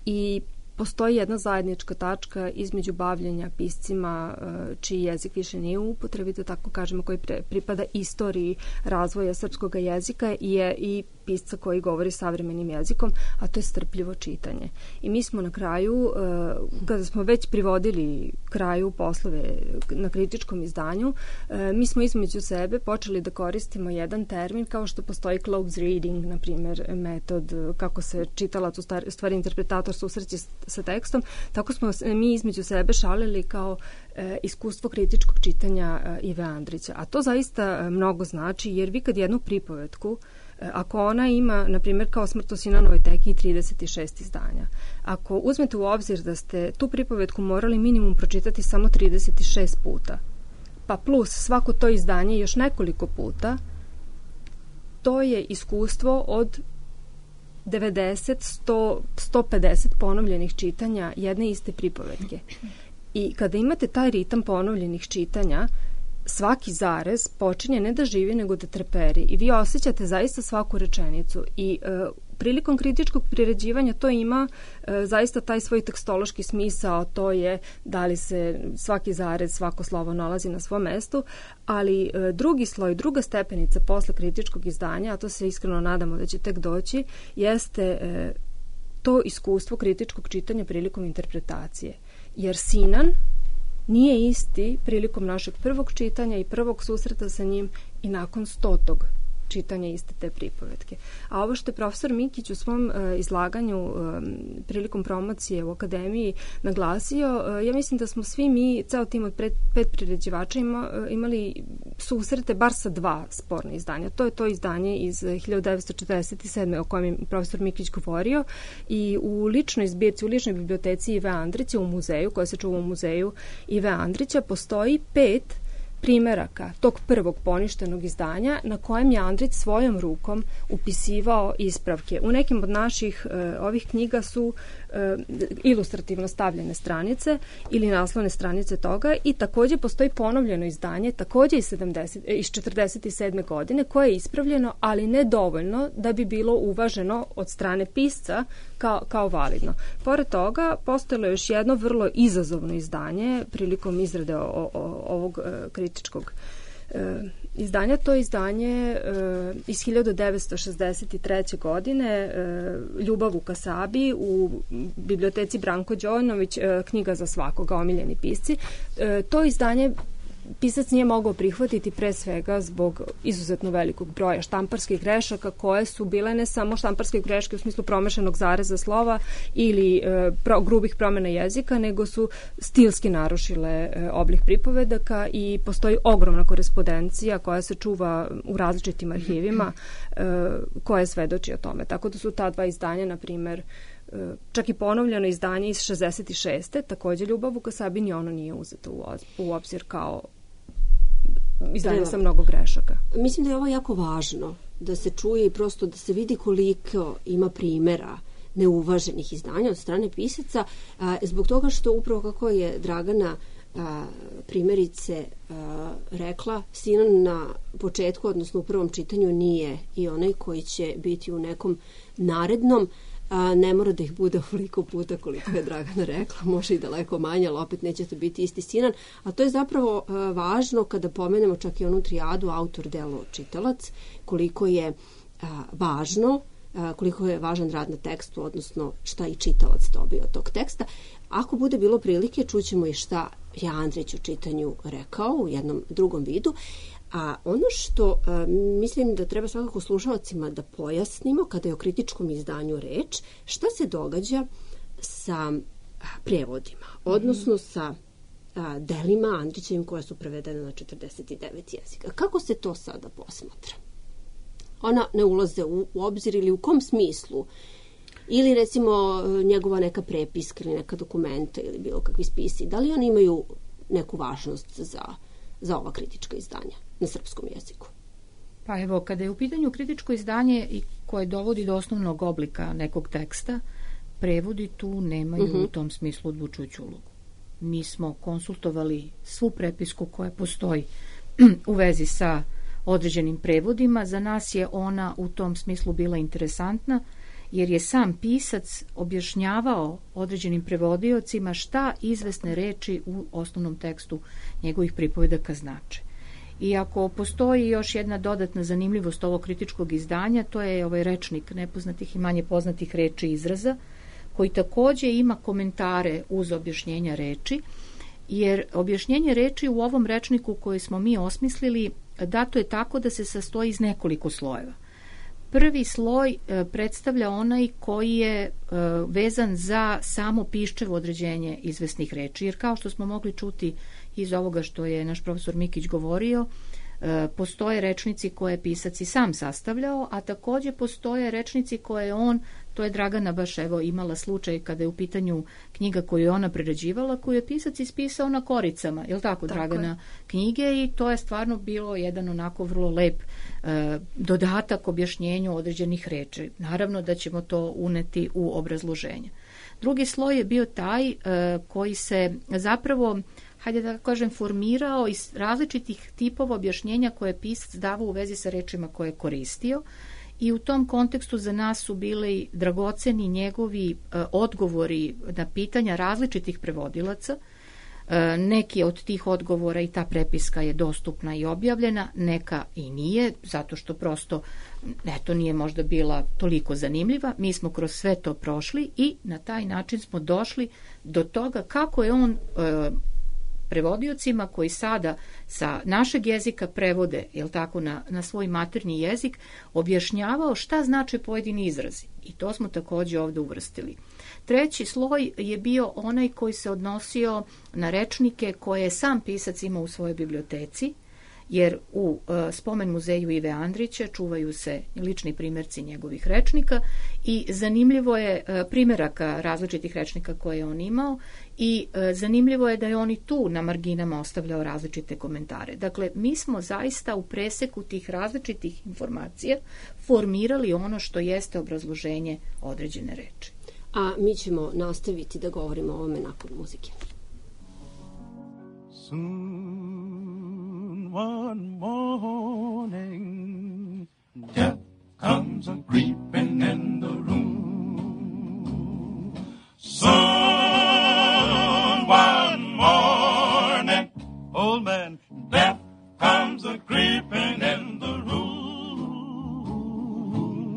i postoji jedna zajednička tačka između bavljenja piscima čiji jezik više nije u upotrebi, da tako kažemo, koji pripada istoriji razvoja srpskog jezika i pisca koji govori savremenim jezikom, a to je strpljivo čitanje. I mi smo na kraju, kada smo već privodili kraju poslove na kritičkom izdanju, mi smo između sebe počeli da koristimo jedan termin kao što postoji close reading, na primjer, metod kako se čitalac, u stvari interpretator susreće sa tekstom, tako smo mi između sebe šalili kao iskustvo kritičkog čitanja Ive Andrića. A to zaista mnogo znači, jer vi kad jednu pripovetku, ako ona ima, na primjer, kao Smrt u Sinanovoj teki 36 izdanja, ako uzmete u obzir da ste tu pripovetku morali minimum pročitati samo 36 puta, pa plus svako to izdanje još nekoliko puta, to je iskustvo od 90, 100, 150 ponovljenih čitanja jedne iste pripovetke. I kada imate taj ritam ponovljenih čitanja, svaki zarez počinje ne da živi, nego da treperi. I vi osjećate zaista svaku rečenicu. I prilikom kritičkog priređivanja to ima zaista taj svoj tekstološki smisao, to je da li se svaki zarez, svako slovo nalazi na svom mestu, ali drugi sloj, druga stepenica posle kritičkog izdanja, a to se iskreno nadamo da će tek doći, jeste to iskustvo kritičkog čitanja prilikom interpretacije. Jer Sinan nije isti prilikom našeg prvog čitanja i prvog susreta sa njim i nakon 100. čitanja iste te pripovetke. A ovo što je profesor Mikić u svom izlaganju prilikom promocije u akademiji naglasio, ja mislim da smo svi mi, ceo tim od 5 priređivača imali susrete bar sa 2 sporne izdanja. To je to izdanje iz 1947. o kojem je profesor Mikić govorio i u ličnoj zbirci, u ličnoj biblioteci Ive Andrića u muzeju, koja se čuva u muzeju Ive Andrića, postoji 5 primeraka tog prvog poništenog izdanja na kojem je Andrić svojom rukom upisivao ispravke. U nekim od naših ovih knjiga su ilustrativno stavljene stranice ili naslovne stranice toga i takođe postoji ponovljeno izdanje, takođe iz 47. godine, koje je ispravljeno, ali ne dovoljno da bi bilo uvaženo od strane pisca kao validno. Pored toga, postojalo je još jedno vrlo izazovno izdanje prilikom izrade ovog kritičkog izdanja. To izdanje iz 1963. godine, Ljubav u Kasabi, u biblioteci Branko Đojnović, Knjiga za svakoga, omiljeni pisci. To izdanje pisac nije mogao prihvatiti pre svega zbog izuzetno velikog broja štamparskih grešaka koje su bile ne samo štamparske greške u smislu promešenog zareza slova ili grubih promjena jezika, nego su stilski narušile oblik pripovedaka i postoji ogromna korespondencija koja se čuva u različitim arhivima koje svedoči o tome. Tako da su ta dva izdanja, na primer, čak i ponovljeno izdanje iz 66. takođe Ljubav u Kasabi, ni ono nije uzeto u obzir kao izdanje sa mnogo grešaka. Mislim da je ovo jako važno da se čuje i prosto da se vidi koliko ima primjera neuvaženih izdanja od strane pisaca, zbog toga što upravo kako je Dragana primjerice rekla, Sinan na početku, odnosno u prvom čitanju, nije i onaj koji će biti u nekom narednom. Ne mora da ih bude ovoliko puta koliko je Dragana rekla, može i daleko manje, ali opet neće to biti isti Sinan. A to je zapravo važno kada pomenemo čak i onu trijadu autor, delo, čitalac, koliko je važno, koliko je važan rad na tekstu, odnosno šta i čitalac dobio od tog teksta. Ako bude bilo prilike, čućemo i šta je Andrić u čitanju rekao u jednom drugom vidu. A ono što mislim da treba svakako slušalcima da pojasnimo kada je o kritičkom izdanju reč, šta se događa sa prevodima, odnosno sa delima Andrićevim koja su prevedene na 49 jezika. Kako se to sada posmatra? Ona ne ulaze u obzir ili u kom smislu? Ili recimo njegova neka prepiska ili neka dokumenta ili bilo kakvi spisi. Da li oni imaju neku važnost za ova kritička izdanja na srpskom jeziku? Pa evo, kada je u pitanju kritičko izdanje i koje dovodi do osnovnog oblika nekog teksta, prevodi tu nemaju u tom smislu odlučujuću ulogu. Mi smo konsultovali svu prepisku koja postoji u vezi sa određenim prevodima. Za nas je ona u tom smislu bila interesantna, jer je sam pisac objašnjavao određenim prevodiocima šta izvesne reči u osnovnom tekstu njegovih pripovedaka znače. I ako postoji još jedna dodatna zanimljivost ovog kritičkog izdanja, to je ovaj rečnik nepoznatih i manje poznatih reči i izraza, koji takođe ima komentare uz objašnjenja reči, jer objašnjenje reči u ovom rečniku koji smo mi osmislili dato je tako da se sastoji iz nekoliko slojeva. Prvi sloj predstavlja onaj koji je vezan za samo piščevo određenje izvesnih reči, jer kao što smo mogli čuti iz ovoga što je naš profesor Mikić govorio, postoje rečnici koje je pisac i sam sastavljao, a takođe postoje rečnici koje je on, to je Dragana baš evo imala slučaj kada je u pitanju knjiga koju je ona prerađivala, koju je pisac ispisao na koricama, je li tako Dragana, knjige, i to je stvarno bilo jedan onako vrlo lep dodatak objašnjenju određenih reči. Naravno da ćemo to uneti u obrazloženje. Drugi sloj je bio taj koji se zapravo, hajde da kažem, formirao iz različitih tipova objašnjenja koje je pisac davao u vezi sa rečima koje je koristio, i u tom kontekstu za nas su bili dragoceni njegovi odgovori na pitanja različitih prevodilaca. Neki od tih odgovora i ta prepiska je dostupna i objavljena, neka i nije, zato što prosto eto nije možda bila toliko zanimljiva. Mi smo kroz sve to prošli i na taj način smo došli do toga kako je on prevodiocima koji sada sa našeg jezika prevode, jel tako, na svoj maternji jezik, objašnjavao šta znače pojedini izrazi. I to smo takođe ovde uvrstili. Treći sloj je bio onaj koji se odnosio na rečnike koje je sam pisac imao u svojoj biblioteci, jer u Spomen muzeju Ive Andrića čuvaju se lični primjerci njegovih rečnika i zanimljivo je primjeraka različitih rečnika koje je on imao i zanimljivo je da je on i tu na marginama ostavljao različite komentare. Dakle, mi smo zaista u preseku tih različitih informacija formirali ono što jeste obrazloženje određene reči. A mi ćemo nastaviti da govorimo o ovome nakon muzike. One morning, death comes a creeping in the room. Soon one morning, old man, death comes comes a creeping in the room.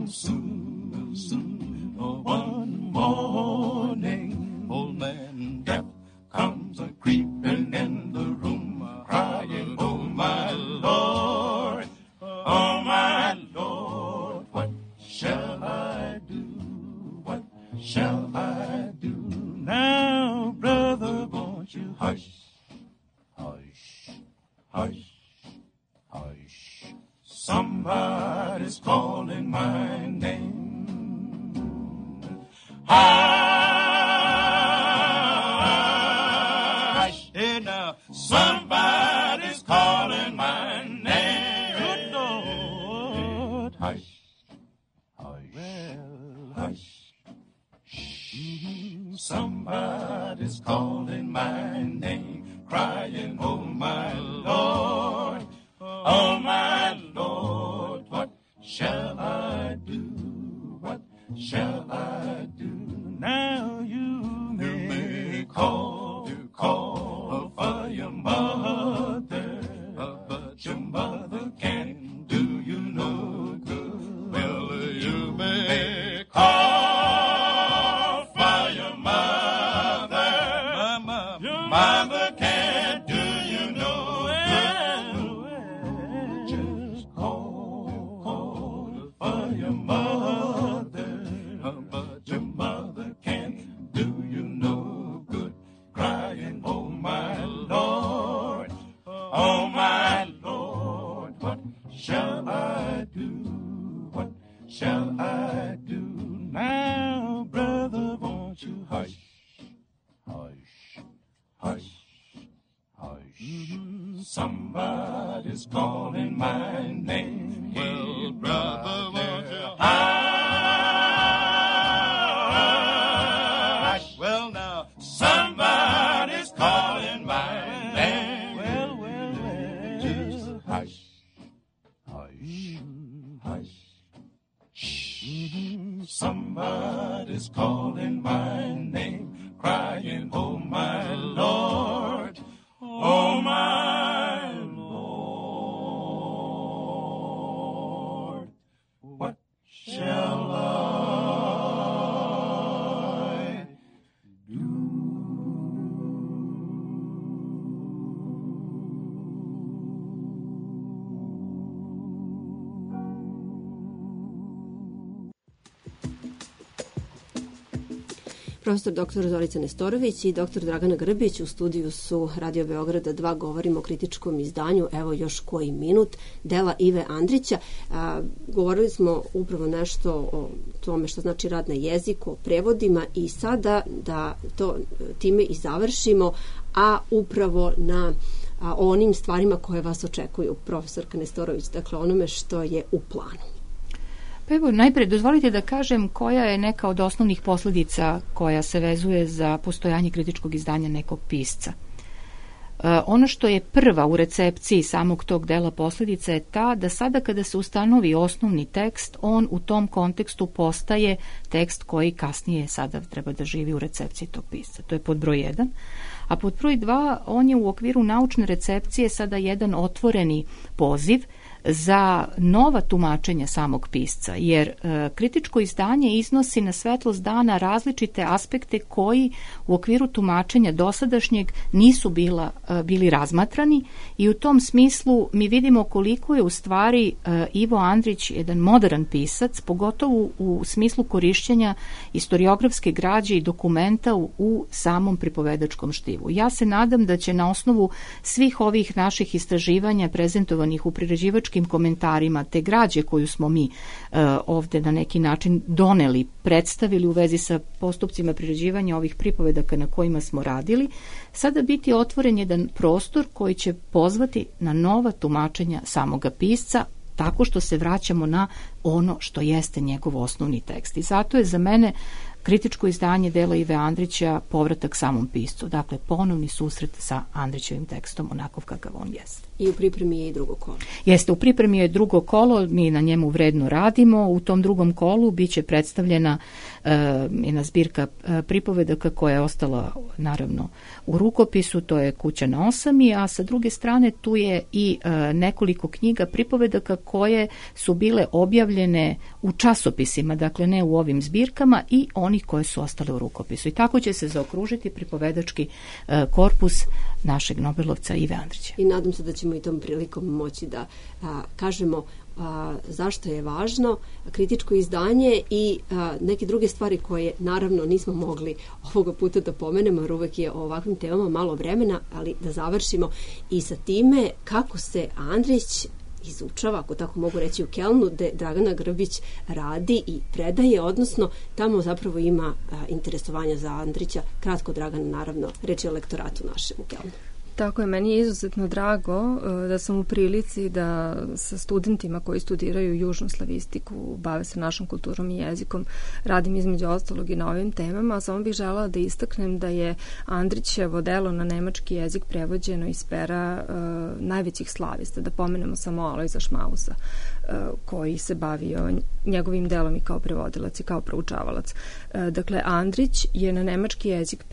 Soon, soon, one morning, old man Death comes a creeping in the room, crying, oh my Lord, what shall I do? What shall I do? Now, brother, won't you hush, hush, hush, hush. Somebody's calling my name. Hush, hey now, somebody's calling my name. Good Lord, hush, hush, well, hush. Somebody's calling my name, crying, oh my Lord, what shall I do? What shall I do? Now you may call for your mother, but your mother can't do you no good. Well, you may call for your mother, your mother can't do you no good. Just call for your mother, but your mother can't do you no good. Crying, oh my Lord, what shall I do? What shall I do? Now, brother, won't you hush, hush, hush, hush. Somebody's calling my name. Well, brother, won't you hush? Well, now, somebody's calling my name. Well, just hush, hush, hush. Somebody's calling my name, crying, oh my Lord, what shall I do? Profesor dr. Zorica Nestorović i dr. Dragana Grbić u studiju su Radio Beograda 2, govorimo o kritičkom izdanju, evo još koji minut, dela Ive Andrića. Govorili smo upravo nešto o tome što znači rad na jeziku, o prevodima i sada da to time i završimo, a upravo na onim stvarima koje vas očekuju, profesorka Nestorović, dakle onome što je u planu. Pa evo, najprej dozvolite da kažem koja je neka od osnovnih posljedica koja se vezuje za postojanje kritičkog izdanja nekog pisca. Ono što je prva u recepciji samog tog dela posljedica je ta da sada kada se ustanovi osnovni tekst, on u tom kontekstu postaje tekst koji kasnije sada treba da živi u recepciji tog pisca. To je pod broj 1. A pod broj 2, on je u okviru naučne recepcije sada jedan otvoreni poziv za nova tumačenja samog pisca, jer kritičko izdanje iznosi na svetlost dana različite aspekte koji u okviru tumačenja dosadašnjeg nisu bili razmatrani i u tom smislu mi vidimo koliko je u stvari Ivo Andrić jedan moderan pisac, pogotovo u smislu korišćenja historiografske građe i dokumenta u samom pripovedačkom štivu. Ja se nadam da će na osnovu svih ovih naših istraživanja prezentovanih u priređivačkim komentarima te građe koju smo mi ovde na neki način doneli, predstavili u vezi sa postupcima priređivanja ovih pripovedaka na kojima smo radili, sada biti otvoren jedan prostor koji će pozvati na nova tumačenja samoga pisca, tako što se vraćamo na ono što jeste njegov osnovni tekst. I zato je za mene kritičko izdanje dela Ive Andrića Povratak samom piscu. Dakle, ponovni susret sa Andrićevim tekstom onakav kakav on jeste. I u pripremi je i drugo kolo. Jeste, u pripremi je drugo kolo, mi na njemu vredno radimo. U tom drugom kolu biće predstavljena jedna zbirka pripovedaka koja je ostala naravno u rukopisu, to je Kuća na osami, a sa druge strane tu je i nekoliko knjiga pripovedaka koje su bile objavljene u časopisima, dakle ne u ovim zbirkama, i onih koje su ostale u rukopisu. I tako će se zaokružiti pripovedački korpus našeg Nobelovca Ive Andrića. I nadam se da ćemo i tom prilikom moći da kažemo zašto je važno kritičko izdanje i neke druge stvari koje naravno nismo mogli ovoga puta da pomenemo, jer uvek je o ovakvim temama malo vremena, ali da završimo i sa time kako se Andrić izučava, ako tako mogu reći, u Kelnu, gde Dragana Grbić radi i predaje, odnosno tamo zapravo ima interesovanja za Andrića. Kratko, Dragana, naravno, reč je o lektoratu našem u Kelnu. Tako je, meni je izuzetno drago da sam u prilici da sa studentima koji studiraju južnu slavistiku, bave se našom kulturom i jezikom, radim između ostalog i na ovim temama. Samo bih želela da istaknem da je Andrićevo delo na nemački jezik prevođeno iz pera najvećih slavista, da pomenemo samo Alojza Šmausa, koji se bavio njegovim delom i kao prevodilac i kao proučavalac. Dakle, Andrić je na nemački jezik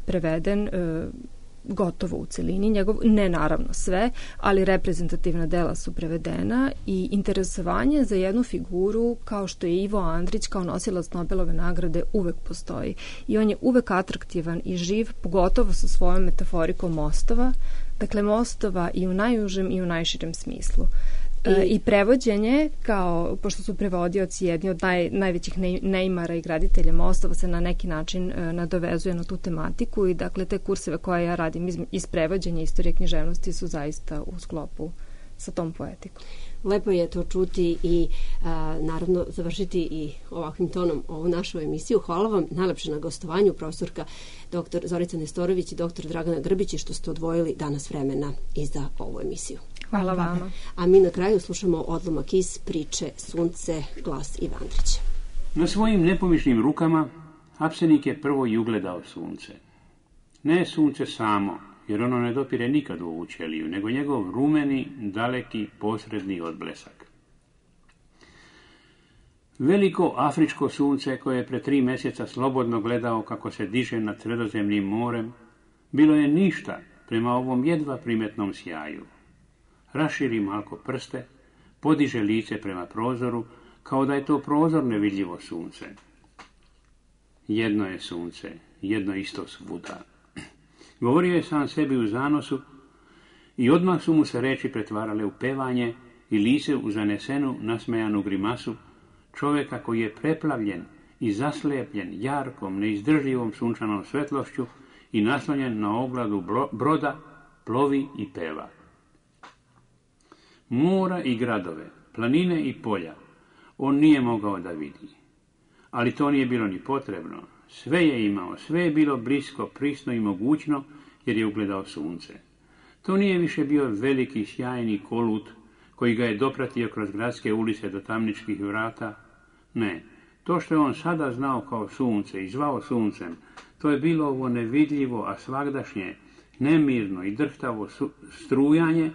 preveden gotovo u celini, ne naravno sve, ali reprezentativna dela su prevedena i interesovanje za jednu figuru kao što je Ivo Andrić kao nosilac Nobelove nagrade uvek postoji i on je uvek atraktivan i živ, pogotovo sa svojom metaforikom mostova, dakle mostova i u najužem i u najširem smislu. I prevođenje, kao, pošto su prevodioci jedni od najvećih neimara i graditelja mostova, se na neki način nadovezuje na tu tematiku i dakle te kurseve koje ja radim iz prevođenja istorije književnosti su zaista u sklopu sa tom poetikom. Lepo je to čuti i naravno završiti i ovakvim tonom ovu našu emisiju. Hvala vam najlepše na gostovanju, profesorka dr. Zorica Nestorović i dr. Dragana Grbić, što ste odvojili danas vremena i za ovu emisiju. Hvala vama. A mi na kraju slušamo odlomak iz priče Sunce, glas Ive Andrića. Na svojim nepomišnim rukama Apsenik je prvo i ugledao sunce. Ne sunce samo, jer ono ne dopire nikad u ovu ćeliju, nego njegov rumeni, daleki, posredni odblesak. Veliko afričko sunce, koje je pre 3 mjeseca slobodno gledao kako se diže nad Sredozemnim morem, bilo je ništa prema ovom jedva primetnom sjaju. Raširi malko prste, podiže lice prema prozoru, kao da je to prozor nevidljivo sunce. Jedno je sunce, jedno isto svuda. Govorio je sam sebi u zanosu i odmah su mu se reči pretvarale u pevanje i lice u zanesenu, nasmejanu grimasu čovjeka koji je preplavljen i zaslepljen jarkom, neizdrživom sunčanom svetlošću i naslonjen na ogladu broda, plovi i peva. Mora i gradove, planine i polja on nije mogao da vidi. Ali to nije bilo ni potrebno. Sve je imao, sve je bilo blisko, prisno i mogućno, jer je ugledao sunce. To nije više bio veliki, sjajni kolut koji ga je dopratio kroz gradske ulice do tamničkih vrata. Ne, to što je on sada znao kao sunce i zvao suncem, to je bilo ovo nevidljivo, a svagdašnje, nemirno i drhtavo strujanje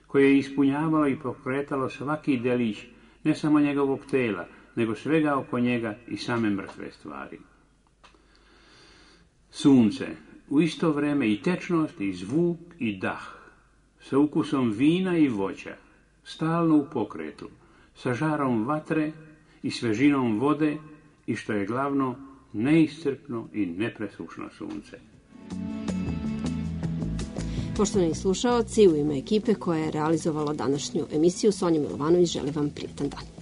koje je ispunjavalo i pokretalo svaki delić, ne samo njegovog tela, nego svega oko njega i same mrtve stvari. Sunce, u isto vreme i tečnost, i zvuk, i dah, sa ukusom vina i voća, stalno u pokretu, sa žarom vatre i svežinom vode i, što je glavno, neiscrpno i nepresušno sunce. Poštovani slušaoci, u ime ekipe koja je realizovala današnju emisiju, Sonja Milovanović želi vam prijetan dan.